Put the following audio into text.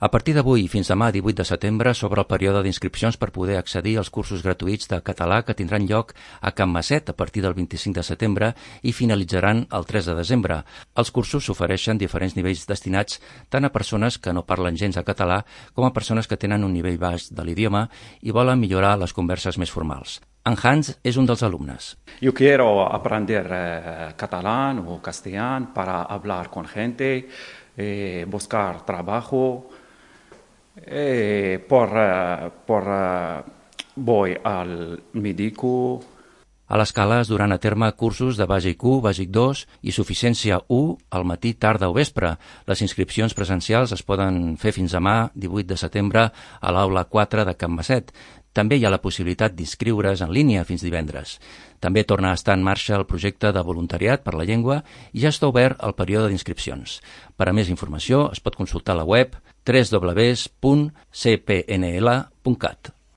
A partir d'avui fins demà 18 de setembre s'obre el període d'inscripcions per poder accedir als cursos gratuïts de català que tindran lloc a Can Maset a partir del 25 de setembre i finalitzaran el 3 de desembre. Els cursos s'ofereixen diferents nivells destinats tant a persones que no parlen gens de català com a persones que tenen un nivell baix de l'idioma i volen millorar les converses més formals. En Hans és un dels alumnes. Yo quiero aprender catalán o castellano para hablar con gente, buscar trabajo. Voy al médico. A l'escala es duran a terme cursos de Bàsic 1, Bàsic 2 i Suficiència 1 al matí, tarda o vespre. Les inscripcions presencials es poden fer fins demà, 18 de setembre, a l'aula 4 de Can Maset. També hi ha la possibilitat d'inscriure's en línia fins divendres. També torna a estar en marxa el projecte de voluntariat per la llengua i ja està obert el període d'inscripcions. Per a més informació es pot consultar la web www.cpnl.cat.